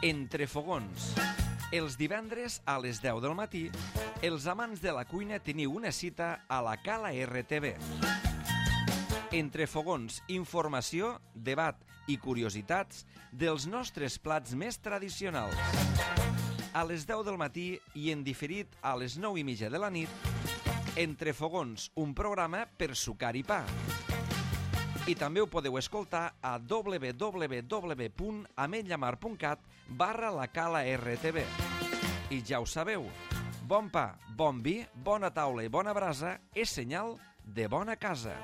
Entre fogons. Els divendres a les 10 del matí, els amants de la cuina teniu una cita a la Cala RTV. Entre fogons, informació, debat i curiositats dels nostres plats més tradicionals. A les 10 del matí i en diferit a les 9:30 de la nit, Entre fogons, un programa per sucar i pa. I també ho podeu escoltar a www.ametlllamar.cat/la Cala RTV. I ja ho sabeu, bon pa, bon vi, bona taula i bona brasa és senyal de bona casa.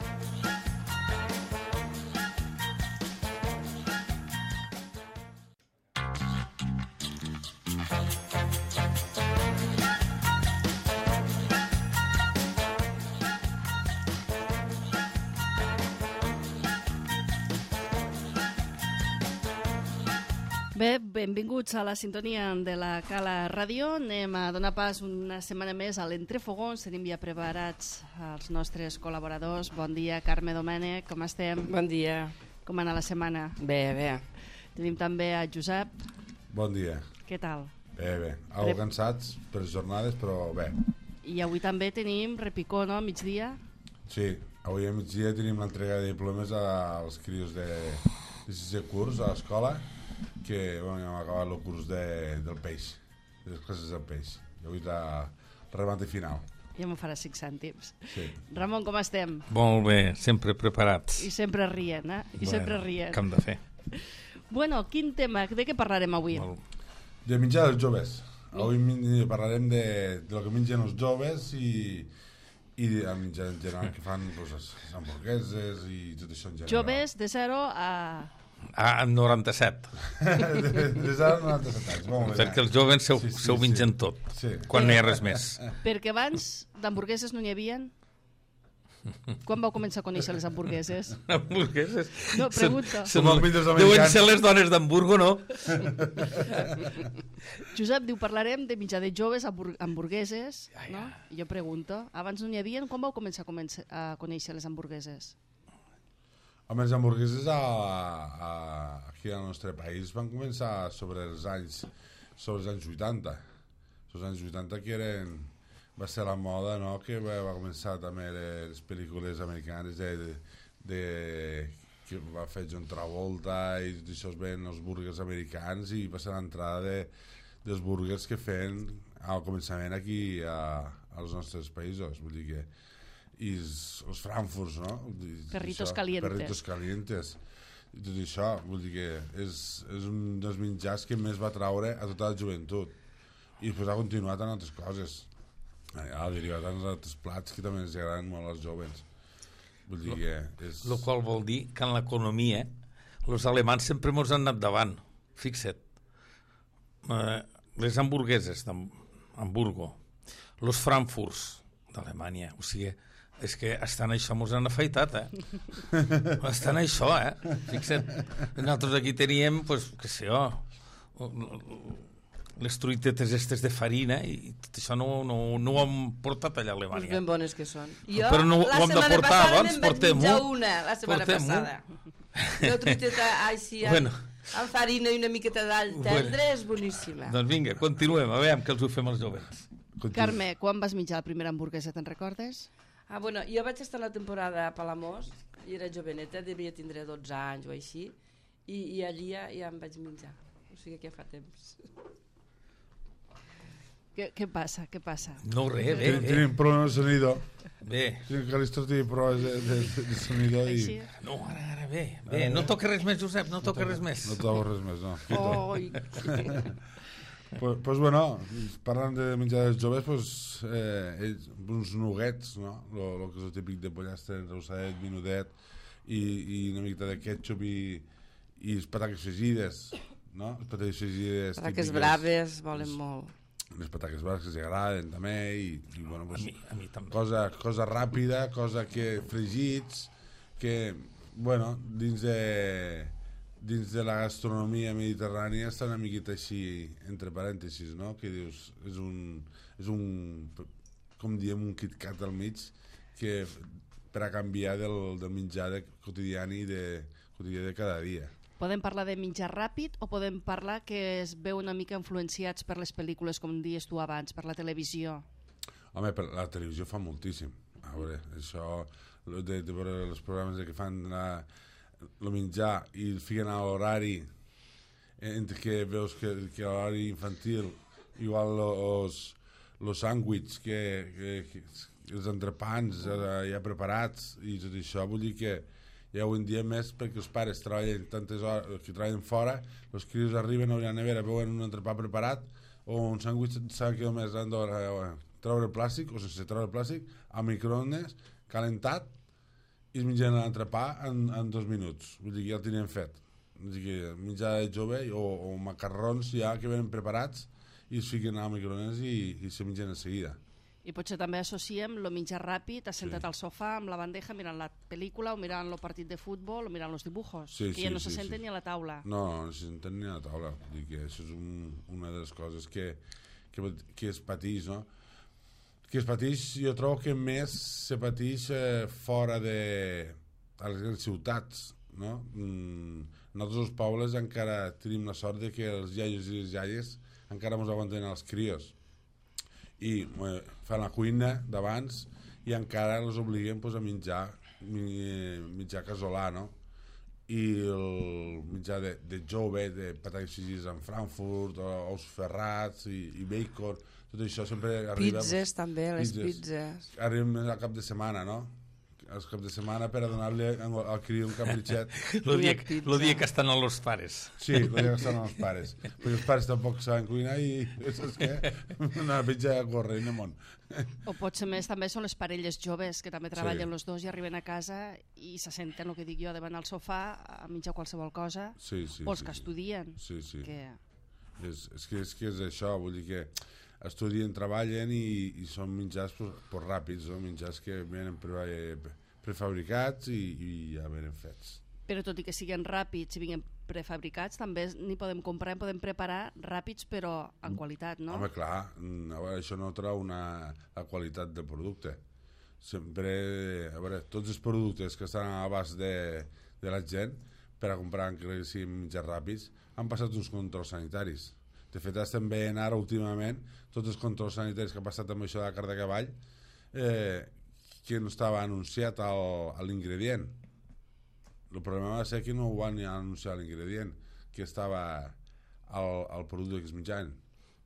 Bé, benvinguts a la sintonia de la Cala Ràdio. Anem a donar pas una setmana més a l'Entrefogons. Tenim ja preparats els nostres col·laboradors. Bon dia, Carme Domènech, com estem? Bon dia. Com ha anat la setmana? Bé, bé. Tenim també a Josep. Bon dia. Què tal? Bé. Algo cansats per les jornades, però bé. I avui també tenim repicó, no?, migdia? Sí, avui a migdia tenim l'entrega de diplomes als crios de 6è curs a l'escola, que bueno, hem acabat el curs del peix, de les classes del peix. I avui és la remate final. Ja m'ho farà 5 cèntims. Sí. Ramon, com estem? Molt bé, sempre preparats. I sempre rient, eh? I sempre rient. Què hem de fer? Bueno, quin tema? De què parlarem avui? De menjar dels joves. Avui parlarem de lo que mengen els joves i de menjar en general, que fan les hamburgueses i tot això en general. Joves de 0 a... Ah, 97. Des de 97 anys. Molt bé. Perquè els joves s'ho mengen tot, quan no hi ha res més. Perquè abans d'hamburgueses no n'hi havia. Quan vau començar a conèixer les hamburgueses? Hamburgueses? No, pregunta. Deuen ser les dones d'Hamburgo, no? Josep diu, parlarem de menjar de joves hamburgueses, no? I jo pregunto, abans no n'hi havia, quan vau començar a conèixer les hamburgueses? Home, les hamburgueses aquí al nostre país van començar sobre els anys 80. Els anys 80 que va ser la moda, no?, que va començar també les pel·lícules americanes que va fer John Travolta i això es ven els burgers americans i va ser l'entrada dels burgers que feien al començament aquí als nostres països, vull dir que i els frankfurts, no? Perritos calientes i tot això, vull dir que és un dels menjars que més va traure a tota la joventut i després ha continuat en altres coses, ha derivat en altres plats que també ens agraden molt als joves, vull dir que és... El qual vol dir que en l'economia els alemans sempre mos han anat davant, fixa't, les hamburgueses d'Hamburgo, els frankfurts d'Alemanya, o sigui, és que estan això mos han afaitat, estan això, fixa't, nosaltres aquí teníem, pues, què sé jo, les truitetes estes de farina i tot això no ho hem portat allà a Alemanya. Pues ben bones que són. Però no ho hem de portar abans, portem-ho. La setmana passada. Una truiteta així amb farina i una miqueta d'all tendre és boníssima. Doncs vinga, continuem, a veure què els ho fem els joves. Carme, quan vas menjar la primera hamburguesa, te'n recordes? Bueno, jo vaig estar la temporada a Palamós, i era joveneta, devia tindre 12 anys o així, i allí ja em vaig menjar. O sigui que ja fa temps. Què passa? No, res, bé. Tenim problemes de sonido. Bé. Tenim que l'Istro té problemes de sonido i... No, ara, bé. No toca res més, Josep, no toca res més. No toca res més, no. Oi! Pues bueno, parlant de menjar dels joves, uns nuggets, no? Lo que és el típic de pollastre, rossadet, vinudet i una miqueta de ketchup i les pataques fregides, no? Les pataques fregides pataques braves volen molt. Les pataques braves que s'agraden també i bueno, pues, a mi també. Cosa ràpida, cosa que fregits, que, bueno, dins de la gastronomia mediterrània està una miqueta així, entre parèntesis, no? Que dius, és un com diem, un KitKat al mig que per a canviar del menjar quotidià de cada dia. Podem parlar de menjar ràpid o podem parlar que es veu una mica influenciats per les pel·lícules, com dius tu abans, per la televisió? Home, la televisió fa moltíssim. A veure, això de veure els programes que fan el menjar i el fiquen a l'horari, entre que veus que l'horari infantil, igual els sàndwichs, els entrepans ja preparats i tot això, vull dir que ja avui en dia més perquè els pares treballen tantes hores, que treballen fora, els crios arriben a la nevera, veuen un entrepà preparat o un sàndwich, saben que només han de treure el plàstic o sense treure el plàstic, a microones, calentat, i es mengen l'entrepà en 2 minuts. Vull dir que ja el tenien fet. Vull dir que menjar de jove o macarrons ja que venen preparats i es fiquen al microones i se mengen de seguida. I potser també associem el menjar ràpid, assentat al sofà amb la bandeja mirant la pel·lícula o mirant el partit de futbol o mirant els dibujos, que ja no se senten ni a la taula. No se senten ni a la taula. Vull dir que això és una de les coses que es pateix, no? Que es pateix, jo trobo que més se pateix fora de a les grans ciutats, no? Nosaltres els pobles encara tenim la sort de que els iaios i les iaies encara ens aguanten els crios i fan la cuina d'abans i encara els obliguen a menjar casolà, no? I el menjar de jove, de patates fregides amb Frankfurt, ous ferrats i bacon, tot això sempre arriba... Pizzas també, les pizzas. Arribem més al cap de setmana, no? Els caps de setmana per a donar-li al criu un capritxet. El dia que estan els pares. Sí, el dia que estan els pares. Perquè els pares tampoc saben cuinar i saps què? Una pitja a córrer en el món. O potser més també són les parelles joves que també treballen els dos i arriben a casa i se senten, el que dic jo, davant al sofà a menjar qualsevol cosa, o els que estudien. Sí. Que... És que és això, vull dir que estudien, treballen i són menjars ràpids, no? Menjars que venen prefabricats i ja venen fets. Però tot i que siguin ràpids i vinguin prefabricats, també n'hi podem comprar i podem preparar ràpids però en qualitat, no? Home, clar, a veure, això no treu la qualitat del producte. Sempre, a veure, tots els productes que estan a l'abast de la gent per a comprar, encara que siguin menjars ràpids, han passat uns controls sanitaris. De fet, estem veient ara últimament tots els controls sanitaris que ha passat amb això de la carn de cavall que no estava anunciat a l'ingredient. El problema va ser que no ho van anunciar a l'ingredient, que estava al producte que es menjaven.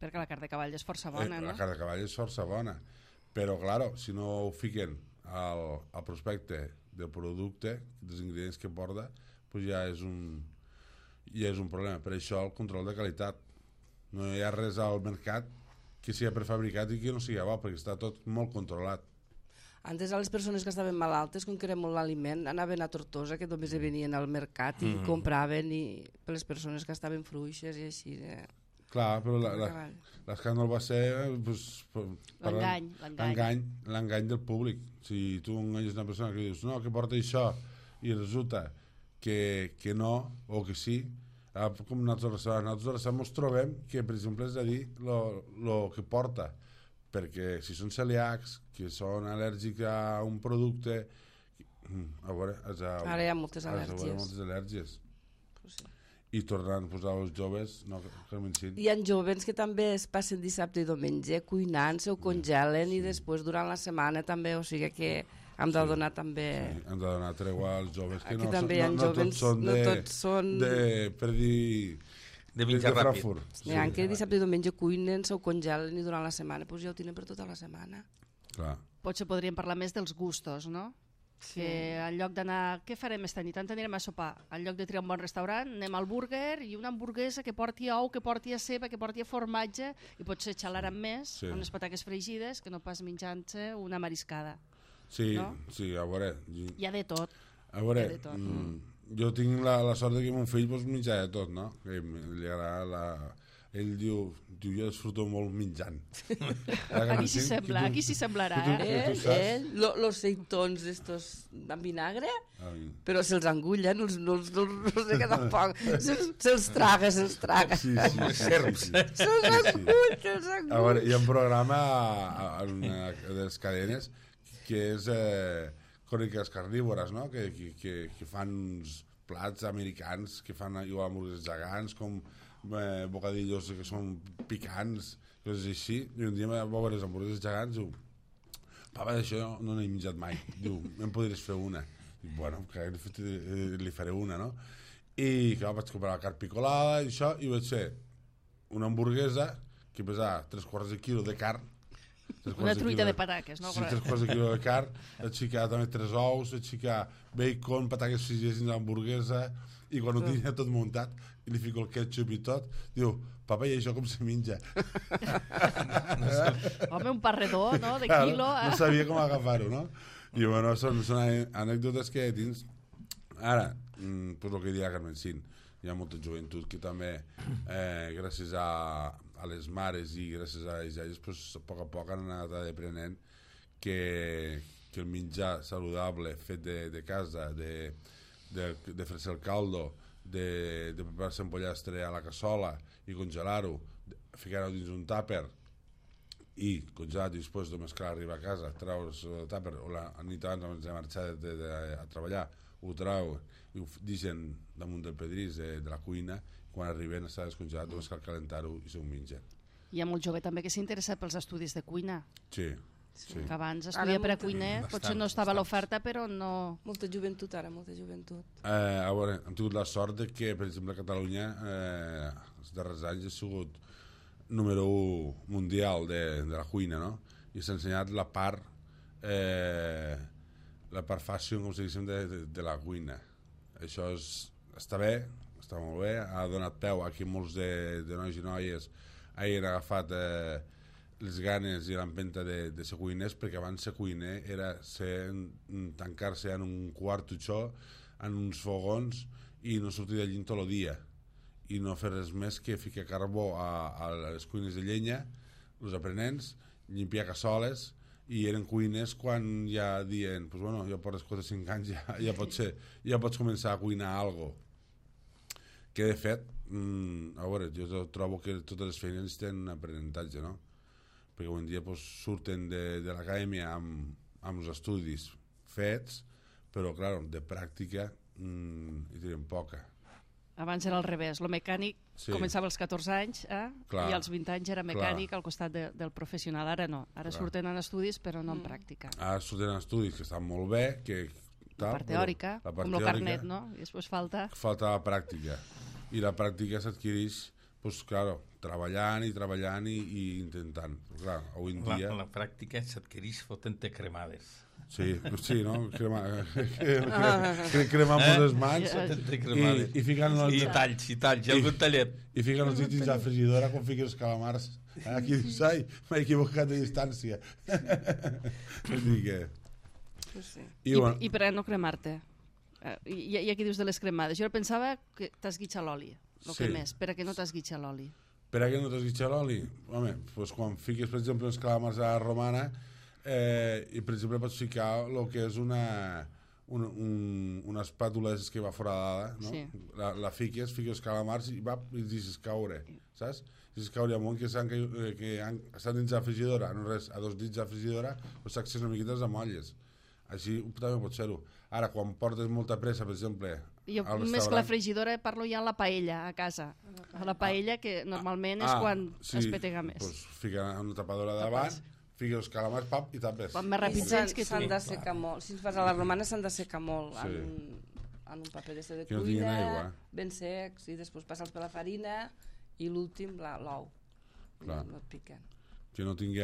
Perquè la carn de cavall és força bona, no? La carn de cavall és força bona, però, claro, si no ho fiquen al prospecte del producte, dels ingredients que porta, pues ja és un problema. Per això el control de qualitat. No hi ha res al mercat que sigui prefabricat i que no sigui bo, perquè està tot molt controlat. Antes, a les persones que estaven malaltes, com que era molt l'aliment, anaven a Tortosa, que només venien al mercat i compraven per les persones que estaven fluixes i així. Clar, però l'escàndol va ser l'engany del públic. Si tu enganyes una persona que dius no, que porta això, i resulta que no, o que sí, com nosaltres ens trobem que, per exemple, és a dir el que porta, perquè si són celíacs, que són al·lèrgics a un producte, a veure, ara hi ha moltes al·lèrgies. I tornant a posar els joves, no, hi ha jovens que també es passen dissabte i diumenge cuinant-se o congelen i després durant la setmana també, o sigui que hem de donar també... Sí, hem de donar tregua als joves, que no tots són per dir... De menjar ràpid. Hi ha que dissabte i diumenge cuinen, se ho congelen i durant la setmana doncs ja ho tenen per tota la setmana. Clar. Potser podríem parlar més dels gustos, no? Sí. Que en lloc d'anar... Què farem esta nit? On anirem a sopar? En lloc de triar un bon restaurant, anem al burger i una hamburguesa que porti ou, que porti ceba, que porti formatge i potser xalarem més amb unes pataques fregides que no pas menjant-se una mariscada. Sí, no? Sí, a veure... Hi ha de tot. A veure, jo tinc la sort que mon fill menja de tot, no? Que li agrada ell diu, jo disfruto molt menjant. Aquí s'hi semblarà, los seitons estos amb vinagre, però se'ls engullen, no sé què tampoc, se'ls traga. Sí. Se'ls engull. A veure, hi ha un programa en una de les cadenes que és Cròniques Carnívores, no? Que fan uns plats americans que fan igual hamburgueses gegants, com bocadillos que són picants, coses així. I un dia va veure les hamburgueses gegants i diu, papa, d'això no n'he menjat mai. Diu, em podries fer una? Dic, bueno, li faré una, no? I clar, vaig comprar la carn picolada i això, i vaig fer una hamburguesa que pesava 3/4 de quilo de carn. Una truita de pataques, no? Sí, 3/4 de quilo de carn, vaig ficar també 3 ous, vaig ficar bacon, pataques fregides dins l'hamburguesa, i quan ho tenia tot muntat, i li fico el ketchup i tot, diu, papa, i això com se menja? Home, un parredor, no?, de quilo. No sabia com agafar-ho, no? I bueno, són anècdotes que tens. Ara, pues el que diria Carmencín, hi ha molta joventut que també, gràcies a les mares i gràcies a les iaies, pues, a poc han anat aprenent que el menjar saludable fet de casa, de fer-se el caldo, de preparar-se un pollastre a la cassola i congelar-ho, ficar-ho dins un tàper i congelat, i després només cal arribar a casa, treure's el tàper, o la nit abans de marxar a treballar, ho treu i ho deixen damunt del pedrís de la cuina, quan arriben està descongelat, només cal calentar-ho i s'ho mengen. Hi ha molt jove també que s'interessa pels estudis de cuina. Sí. Que abans estudiar per a cuiner, potser no estava a l'oferta, però no... Molta joventut ara, molta joventut. A veure, hem tingut la sort que, per exemple, a Catalunya, els darrers anys ha sigut número 1 mundial de la cuina, no? I s'ha ensenyat la part fashion, com si diguéssim, de la cuina. Això està bé, està molt bé, ha donat peu a que molts de nois i noies hagin agafat les ganes i l'empenta de ser cuiners, perquè abans ser cuiner era tancar-se en un quartutxó, en uns fogons, i no sortir d'allí tot el dia, i no fer res més que ficar carbó a les cuines de llenya, els aprenents, limpiar cassoles, i eren cuiners quan ja dient, pues bueno, ja portes 4 o 5 anys, ja pots començar a cuinar alguna cosa. Que de fet, a veure, jo trobo que totes les feines tenen un aprenentatge, no? Perquè avui en dia surten de l'acadèmia amb els estudis fets, però, clar, de pràctica hi tenen poca. Abans era al revés, el mecànic començava als 14 anys i als 20 anys era mecànic al costat del professional. Ara no, ara surten en estudis però no en pràctica. Ara surten en estudis que estan molt bé, la part teòrica, com el carnet, no? I després falta la pràctica, i la pràctica s'adquireix treballant i intentant. Clar, avui en dia... La pràctica s'adquireix fotent-te cremades. Sí, no? Cremant les mans i ficant i talls, i algun tallet. I ficant els dits dins la frigidora com fiquen els calamars. Aquí dius, ai, m'he equivocat de distància. I per a no cremar-te? I aquí dius de les cremades. Jo pensava que t'esguitxa l'oli, el que més, per a que no t'esguitxa l'oli. Per a que no t'esguitxa l'oli? Home, quan fiques, per exemple, els calamars a la romana, i per exemple pots ficar el que és una espàtula que va foradada, no? Sí. La fiques els calamars i deixes caure, saps? Deixes caure amunt que estan dins la frigidora, no res, a 2 dits de la frigidora, doncs s'accés una miqueta les amolles. Així també pot ser-ho. Ara, quan portes molta pressa, per exemple, jo més que la frigidora parlo ja a la paella a casa. A la paella, que normalment és quan es petega més. Doncs fica una tapadora davant, fica els calamars, pap, i tapes. Quan més ràpids que s'han d'assecar molt. Si fas a la romana s'han d'assecar molt en un paper de cuina, ben secs, i després passa'ls per la farina i l'últim l'ou. No et piquen. Que no tingui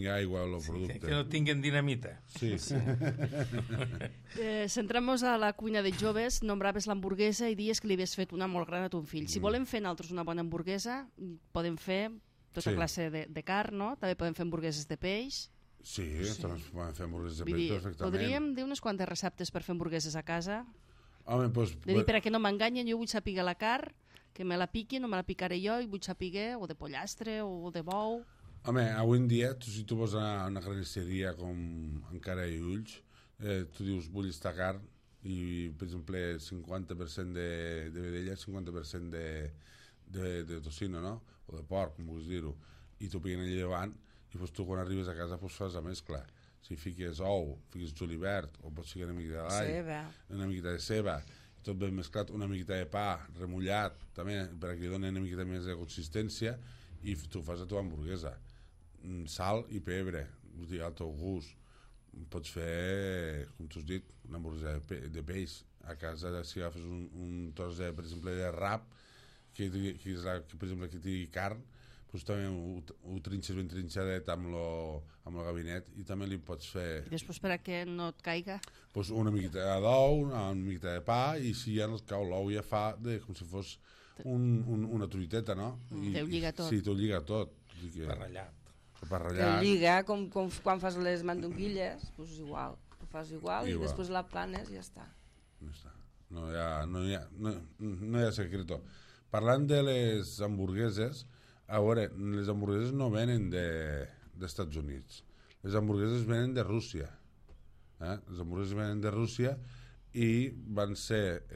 aigua el producte. Que no tinguen dinamita. Sí. Centrem-nos a la cuina de joves. Nombraves l'hamburguesa i dies que li havies fet una molt gran a ton fill. Si volem fer nosaltres una bona hamburguesa, podem fer tota classe de carn, no? També podem fer hamburgueses de peix. Sí, també podem fer hamburgueses de peix perfectament. Podríem dir unes quantes receptes per fer hamburgueses a casa? Home, doncs... De dir, per a que no m'enganyen, jo vull saber la carn, que me la piquin, no me la picaré jo, i vull saber o de pollastre o de bou... Home, avui en dia, si tu vas a una carnisseria com Encara i Ulls, tu dius, vull esta carn, i, per exemple, 50% de vedella, 50% de tocino, no? O de porc, com vols dir-ho, i t'ho piguen allà davant, i tu quan arribes a casa fas la mescla. Si fiques ou, fiques julivert, o pots ficar una mica d'all, una mica de ceba, tot ben mesclat, una miqueta de pa remullat, també, perquè li doni una miqueta més de consistència, i tu fas la teva hamburguesa. Sal i pebre, vull dir, al teu gust. Pots fer, com tu has dit, una hamburguesa de peix. A casa, si agafes un tros, per exemple, de rap, que per exemple, que tingui carn, doncs també ho trinxes ben trinxadet amb el gabinet, i també li pots fer... I després per a que no et caiga? Doncs una miqueta d'ou, una miqueta de pa, i si ja no et cau l'ou ja fa com si fos una truiteta, no? T'ho lliga tot. Sí, t'ho lliga tot. Barrellat. T'ho lliga, com quan fas les mandonguilles, doncs igual. Ho fas igual i després la planes i ja està. No hi ha secreto. Parlant de les hamburgueses, a veure, les hamburgueses no venen dels Estats Units. Les hamburgueses venen de Rússia. Les hamburgueses venen de Rússia i van ser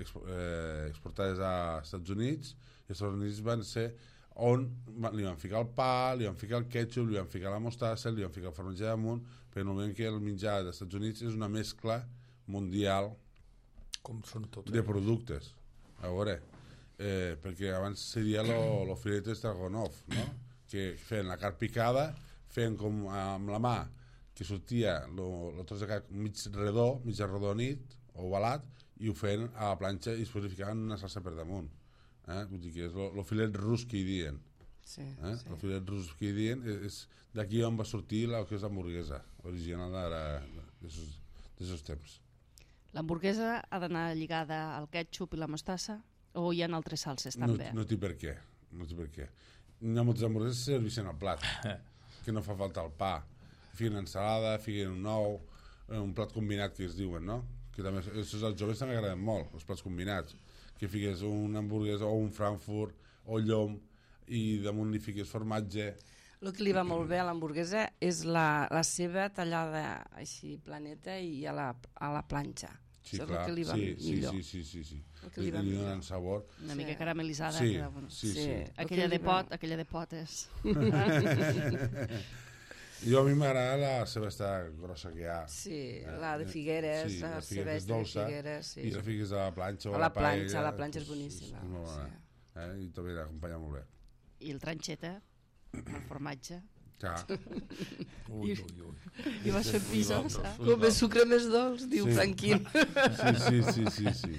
exportades als Estats Units, i als Estats Units van ser on li van ficar el pa, li van ficar el ketchup, li van ficar la mostassa, li van ficar el formatge damunt, perquè no veiem que el menjar dels Estats Units és una mescla mundial com són tots de productes. A veure, perquè abans seria el filet Stragonov, no? Que feien la carn picada, feien com amb la mà, que sortia el tros de carn mig redó, mig arrodonit, ovalat, i ho feien a la planxa i després li ficaven una salsa per damunt. Vull dir que és el filet rus que hi diuen. Sí. El filet rus que hi diuen és d'aquí on va sortir el que és l'hamburguesa original d'aquests temps. L'hamburguesa ha d'anar lligada al ketchup i la mostassa o hi ha altres salses també? No té per què. Hi ha moltes hamburgueses que serveixen al plat, que no fa falta el pa. Fiquen ensalada, fiquen un ou, un plat combinat que es diuen, no? Que també, als joves també agraden molt, els plats combinats. Que fiques una hamburguesa o un frankfurt o llom i damunt li fiques formatge. El que li va molt bé a l'hamburguesa és la seva tallada així planeta i a la planxa. Sí, és clar. El que li va millor. Sí. El que li donen sabor. Una mica caramelitzada. Sí, queda bueno. sí. Aquella de pot és... Jo a mi m'agrada la ceba grossa que hi ha. Sí, la de Figueres, sí, la ceba de dolça, Figueres. Sí. I la fiques a la planxa o a a la planxa. A la planxa és boníssima. És molt bona. I també l'acompanya molt bé. I el tranxeta, el formatge. Clar. Ui. I vas fer pisos. Com més sucre més dolç, diu Franquín. Sí.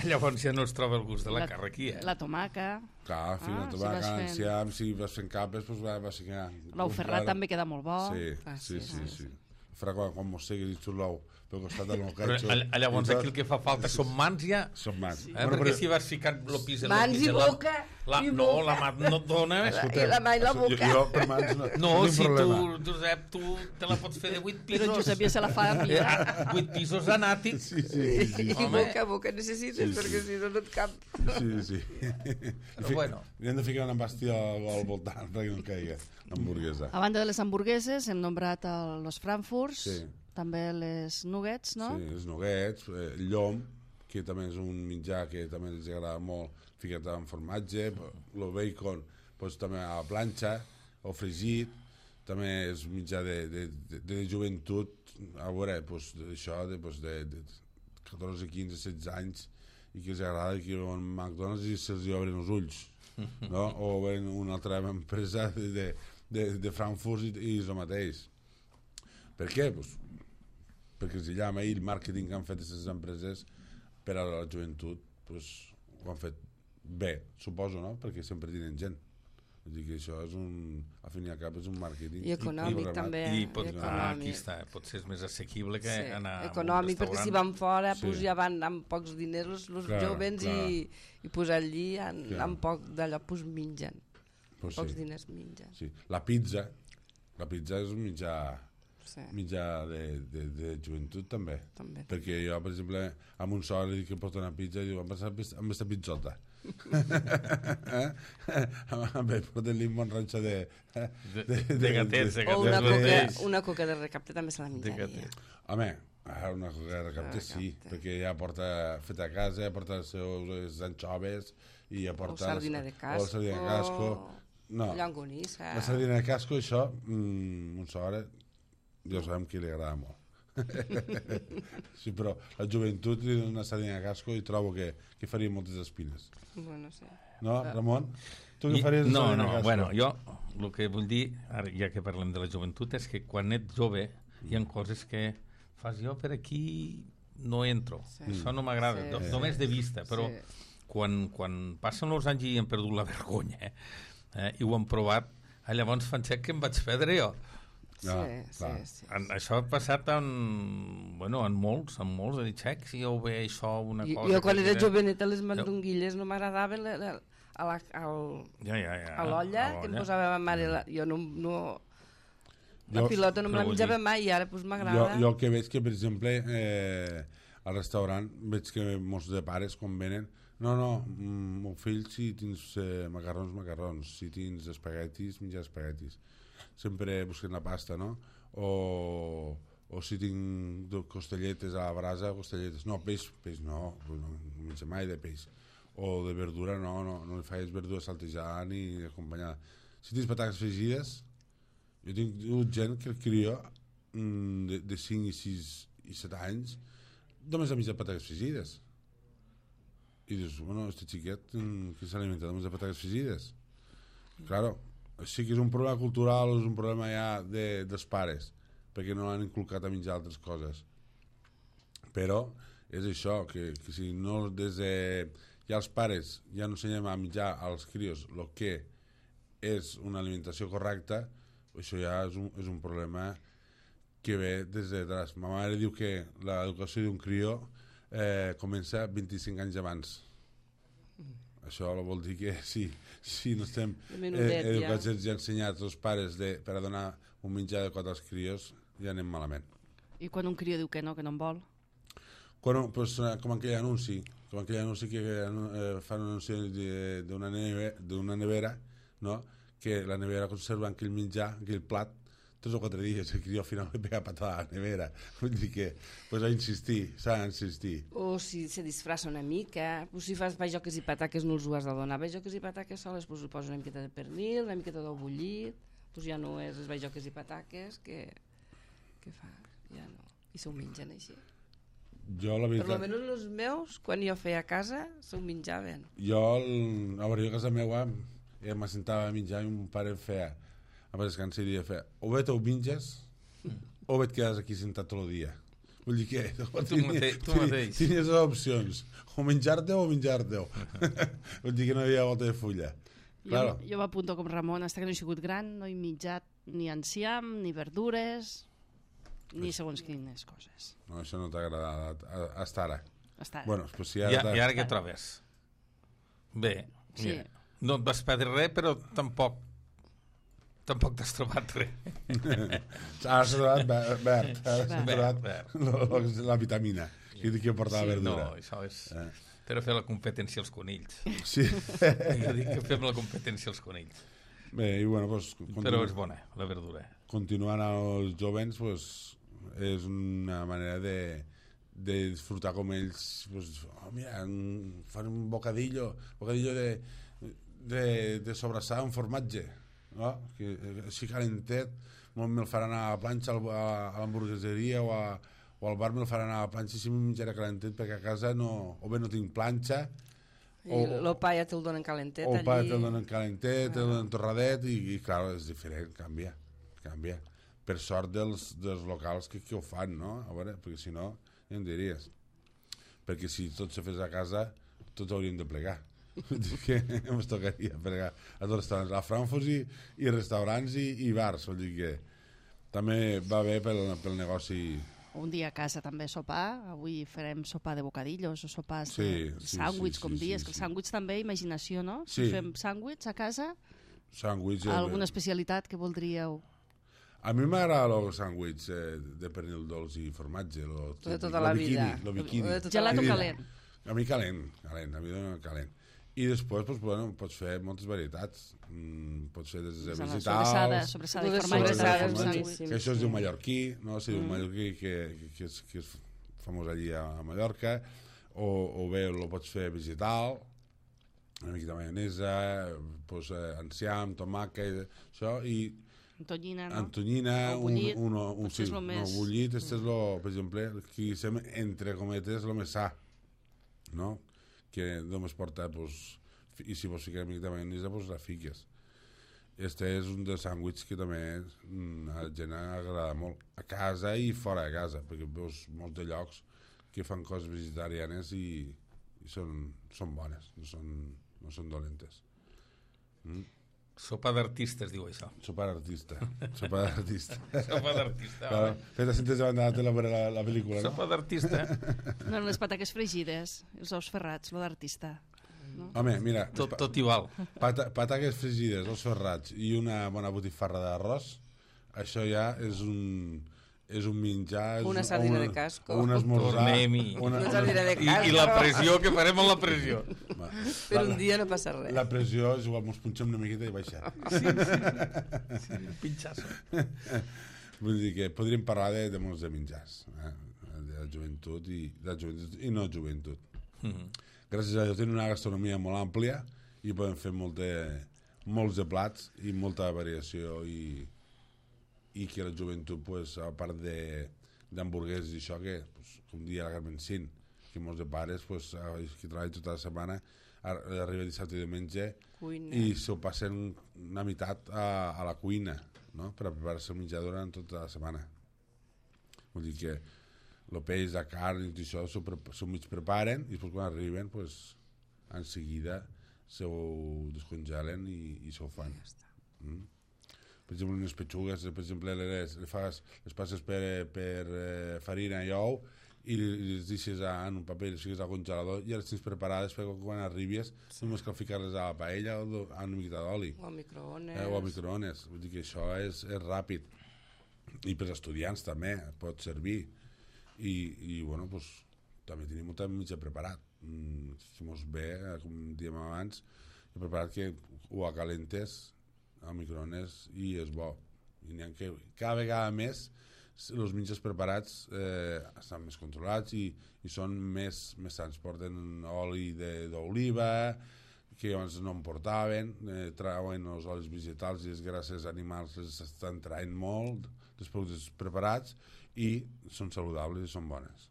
Llavors ja no es troba el gust de la carn aquí, La tomaca. Clar, la tomaca, l'enciam, si vas fent capes, doncs vas ficar... L'ou ferrat també queda molt bo. Sí. Farà quan mosseguis i xut l'ou pel costat del meu ketchup. Però llavors aquí el que fa falta són mans ja. Són mans. Perquè si vas ficant el pis... Mans i boca. No, la mà no et dona. I la mà i la boca. Jo per mans no, si tu, Josep, tu te la pots fer de 8 pisos. Però Josep ja se la fa a mi. 8 pisos anàtics. Sí. I boca necessites, perquè si no et cap. Sí. Però bueno. Li hem de ficar una bàstia al voltant perquè no caigui l'hamburguesa. A banda de les hamburgueses, hem nombrat els frankfurts, també les nuggets, no? Sí, els nuggets, el llom, que també és un menjar que també els agrada molt, ficat amb formatge, el bacon doncs, també a la planxa, o fregit, també és menjar de joventut, a veure, doncs, això de 14, 15, 16 anys, i que els agrada que veuen McDonald's i se'ls obren els ulls, no? O veuen una altra empresa de Frankfurt i és el mateix. Per què? Doncs, perquè si llama i el màrqueting que han fet aquestes empreses per a la joventut doncs, ho han fet bé, suposo, no? Perquè sempre tenen gent. Vull dir que això és al fin i al cap és un màrqueting i econòmic també. I aquí està, potser és més assequible que anar a un econòmic, restaurant. Perquè si van fora ja van amb pocs diners els jovens i posar allí amb poc d'allò mengen. Pocs diners mengen. La pizza és un mitjà de joventut també. Perquè jo, per exemple, amb un sol li dic que porta una pizza i diu, amb aquesta pizzota. Porten-li un bon ranxo de gatets. O una coca de recapte també se la menjaria. Home, una coca de recapte sí, perquè ja porta feta a casa, ja porta les seves anxoves i ja porta... O sardina de casco. Llonganissa. La sardina de casco, això, un sort, ja sabem que li agrada molt. Sí, però la joventut li dona una sardina a casco i trobo que faria moltes espines. Bueno, sí. No, Ramon? Tu què faries de sardina a casco? Bueno, jo el que vull dir, ara ja que parlem de la joventut, és que quan ets jove hi ha coses que fas jo per aquí no entro. Això no m'agrada, només de vista, però quan passen els anys i hem perdut la vergonya i ho hem provat, llavors fan que em vaig perdre jo. Sí. Això ha passat en molts, de dir, xec, si jo ho veig això, una cosa... Jo quan era joveneta les mandonguilles no m'agradaven a l'olla que em posava ma mare. Jo no... La pilota no me la menjava mai i ara doncs m'agrada. Jo el que veig que, per exemple, al restaurant veig que molts de pares quan venen meu fill, si tens macarrons, si tens espaguetis, menjar espaguetis. Sempre busquen la pasta, no? O si tinc costelletes a la brasa, costelletes. No, peix no menja mai de peix. O de verdura, no li faig verdura saltejada ni acompanyada. Si tens patates fregides, jo tinc gent que el crio de 5 i 6 i 7 anys només ha menjat patates fregides. I dius, este xiquet que s'alimenta només de patates fregides? Claro, sí que és un problema cultural, és un problema ja dels pares, perquè no l'han inculcat a menjar altres coses. Però és això, que si no des de... Ja els pares ja no ensenyem a menjar als crios el que és una alimentació correcta, això ja és un problema que ve des de atrás. Ma mare diu que l'educació d'un crió comença 25 anys abans. Això vol dir que si no estem educats i ensenyats els pares per a donar un menjar adequat als crios, ja anem malament. I quan un crió diu que no en vol? Com aquell anunci que fan un anunci d'una nevera, no? Que la nevera conserva aquell menjar, aquell plat, 3 o 4 dies, el crió al final li pega patada a la nevera. Vull dir que s'ha d'insistir. O si se disfressa una mica, si fas bajoques i pataques no els ho has de donar. Bajoques i pataques soles, li poses una miqueta de pernil, una miqueta d'ou bullit, ja no és les bajoques i pataques que fa, ja no. I s'ho mengen així. Jo, la veritat... Per almenys els meus, quan jo feia a casa, s'ho menjaven. Jo a casa meva m'assentava a menjar i un pare em feia, a descansar i feia, o bé t'ho menges o bé et quedes aquí sentat tot el dia. Vull dir que tu mateix. Tenies les opcions, o menjar-te o menjar-te. Vull dir que no hi havia volta de fulla. Jo m'apunto com Ramon, hasta que no he sigut gran, no he menjat ni enciam, ni verdures, ni segons quines coses. No, això no t'ha agradat hasta ara. Bueno, pues si I ara què trobes? Bé, sí. No et vas perdre res, però tampoc t'has trobat res. Has trobat verd. Has trobat la vitamina que portava verdura. No, això és... Però fer la competència als conills. Sí. Jo dic que fem la competència als conills. Bé, i bueno, pues... Però és bona, la verdura. Continuant als jovens, pues, és una manera de disfrutar com ells, pues, mira, fan un bocadillo de sobrassada amb formatge, no? Que així calentet, me'l faran a la planxa a l'hamburgueseria o al bar me'l faran a la planxa i si me'l menjaré calentet perquè a casa o bé no tinc planxa i el pa ja te'l donen calentet o el pa te'l donen calentet, te'l donen torradet i clar, és diferent, canvia per sort dels locals que ho fan, no? A veure, perquè si no, ja em diries perquè si tot se fes a casa tots hauríem de plegar que ens tocaria plegar a tots els restaurants, a Frankfurt i restaurants i bars, vol dir que també va bé pel negoci. Un dia a casa també sopar, avui farem sopar de bocadillos o sopars de sàndwich, com dies, que el sàndwich també, imaginació, no? Si fem sàndwich a casa, alguna especialitat que voldríeu? A mi m'agrada el sàndwich de pernil dolç i formatge, de tota la vida. Lo bikini. Gelat o calent? A mi calent, a mi dona calent. I després, pues, bueno, pots fer moltes varietats. Pots fer des de vegetal... Sobrassada i formatge. Que això es diu mallorquí, no? Se diu mallorquí, que és famós allí a Mallorca. O bé el pots fer vegetal, una mica de maionesa, pues, enciam, tomàquet, això, i Tonyina, no? Antonyina, O bullit. sí, és lo més... no, bullit, este és lo, per exemple, que entre cometes, lo més sa, no? Que només porta, pues, i si vols ficar una mica de maionesa, pues la fiques. Este és un dels sàndwichs que també a la gent agrada molt, a casa i fora de casa, perquè veus molts de llocs que fan coses vegetarianes i són bones, no són dolentes. Sopa d'artista es diu això. Sopa d'artista. Sopa d'artista. Sopa d'artista. Claro, fes la síntesi davant de la tele per la pel·lícula, no? Sopa d'artista. No, les pataques fregides, els ous ferrats, lo d'artista. No? Home, mira, Tot igual. pataques fregides, els ferrats i una bona botifarra d'arròs, això ja és un menjar... Una sardina de casco. Un esmorzar... Tornem-hi. Una sardina de casco. I la pressió, que farem amb la pressió? Per un dia no passa res. La pressió és igual, ens punxem una miqueta i baixem. Sí, un pinxasso. Vull dir que podríem parlar de molts de menjars, de la joventut i no joventut. Gràcies a Déu tenim una gastronomia molt àmplia i podem fer molts de plats i molta variació i que la joventut, pues, a part d'hamburgueses i això, que pues, com dia la Carmen Cint, que molts de pares pues, que treballen tota la setmana arriba dissabte i diumenge Cuina. i s'ho passen una meitat a la cuina, no? Per a preparar-se el menjar durant tota la setmana. Vull dir que el peix, la carn i tot això s'ho mig preparen i després quan arriben pues, en seguida s'ho descongelen i s'ho fan. Per exemple, unes petxugues, per exemple, les passes per farina i ou i les deixes en un paper, les fiques al congelador i les tens preparades perquè quan arribis només cal ficar-les a la paella o a una miqueta d'oli. O al microones. O al microones. Vull dir que això és ràpid. I per als estudiants també pot servir. I bueno, pues, també tenim molt mitjà preparat. Si mos ve, com diem abans, he preparat que ho acalentes al microones i és bo. I n'hi ha que cada vegada més els menjars preparats estan més controlats i són més sants. Porten oli d'oliva, que abans no en portaven, trauen els olis vegetals i les grasses animals les estan traient molt dels productes preparats i són saludables i són bones.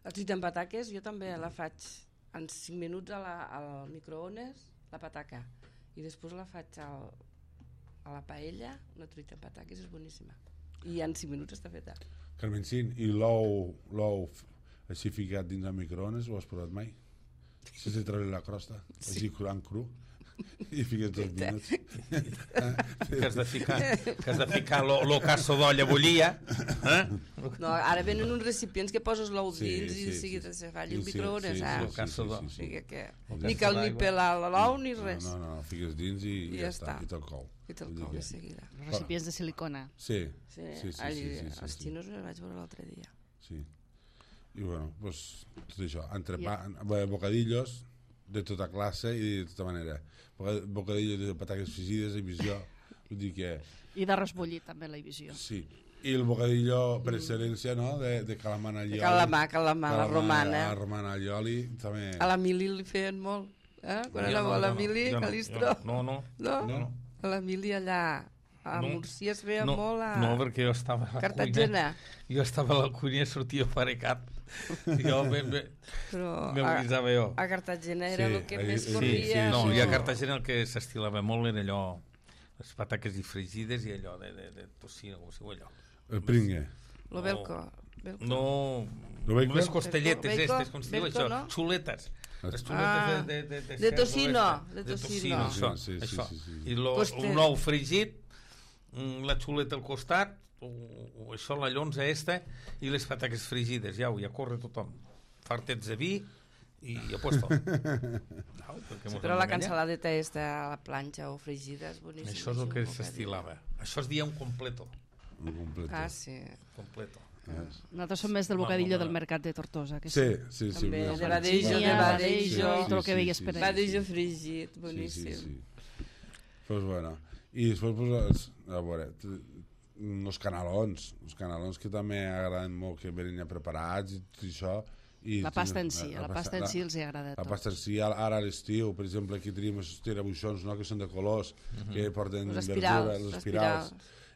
La truita amb pataques jo també la faig en 5 minuts al microones, la pataca, i després la faig a la paella, una truita amb pataques és boníssima. I en 5 minuts està feta. Carmen Cint, i l'ou així ficat dins el microones, ho has provat mai? Si se treure la crosta, així cru, i fiques 2 minuts. Que has de ficar lo casso d'olla bullia. No, ara venen uns recipients que poses l'ou dins i seguida se fa allà el microones. Ni cal ni pelar l'ou ni res. No, fiques dins i ja està, i te'l cou. I te'l cou de seguida. Recipients de silicona. Sí. Els xinos els vaig veure l'altre dia. Sí. I bueno, pues tot això, bocadillos de tota classe i de tota manera. Bocadillos de patates fregides, visió, vull dir que... I d'arròs bullit, també, la visió. Sí. I el bocadillo per excel·lència, no?, de calamar al llioli. Calamar, la romana. La romana al llioli, també... A la Mili li feien molt, quan anava a la Mili, Calistro. No. A la Mili allà a Múrcia es feia molt a... No, perquè jo estava a la Cartagena. Jo estava a la cuina i sortia farecat. Jo m'avisava jo. A Cartagena era el que més corria. No, i a Cartagena el que s'estilava molt era allò, les pataques i fregides i allò de tocino, com si ho allò. El pringue. Lo velco. No, unes costelletes estes, com si diu això, xuletes. Les xuletes de tocino. De tocino, això. I un ou fregit, la xuleta al costat, o això, la llonza esta, i les pataques fregides, ja corre tothom. Fartets de vi i a puesto. Però la cansaladeta esta a la planxa o fregida és boníssima. Això és el que s'estilava. Això es dia un completo. Ah, sí. Completo. Nosaltres som més del bocadillo del mercat de Tortosa. Sí. També, de badejo, i tot el que veies per allà. Badejo fregit, boníssim. Sí. Pues bueno, i després, pues, a veure, els canalons que també agraden molt, que venen ja preparats i tot això, La pasta en si, la pasta en si els agrada La tot. pasta en si, ara a l'estiu, per exemple, aquí tenim els tirabuixons, no?, que són de colors, que porten Les verdura, espirals, les espirals,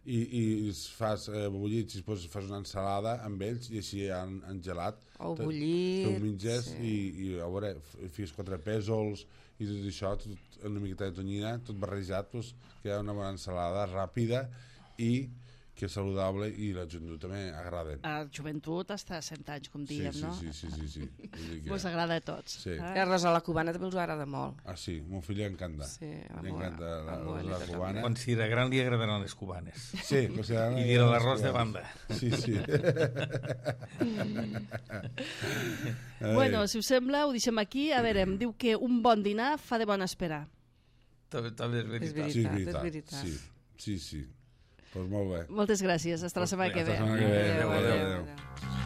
i fas bullits i després fas una ensalada amb ells i així han gelat. O bullit. Te ho menges i a veure, fies 4 pèsols i tot això, tot, una miqueta de tonyina, tot barrejat, doncs, queda una bona ensalada ràpida i que és saludable i la joventut també agraden. A la joventut hasta 100 anys, com diem, no? Sí. Vull dir que... Us agrada a tots. Sí. Que arròs a la cubana també els agrada molt. Ah, sí, mon fill li encanta. Sí, li encanta la cubana. Quan serà gran li agradaran les cubanes. Sí, I dirà l'arròs de banda. Sí. Bueno, si us sembla, ho deixem aquí. A veure, em diu que un bon dinar fa de bon esperar. També és veritat. Sí, és veritat. Sí. Pues molt bé. Moltes gràcies. Hasta la setmana que ve. Hasta la setmana que ve. Adéu. Adéu.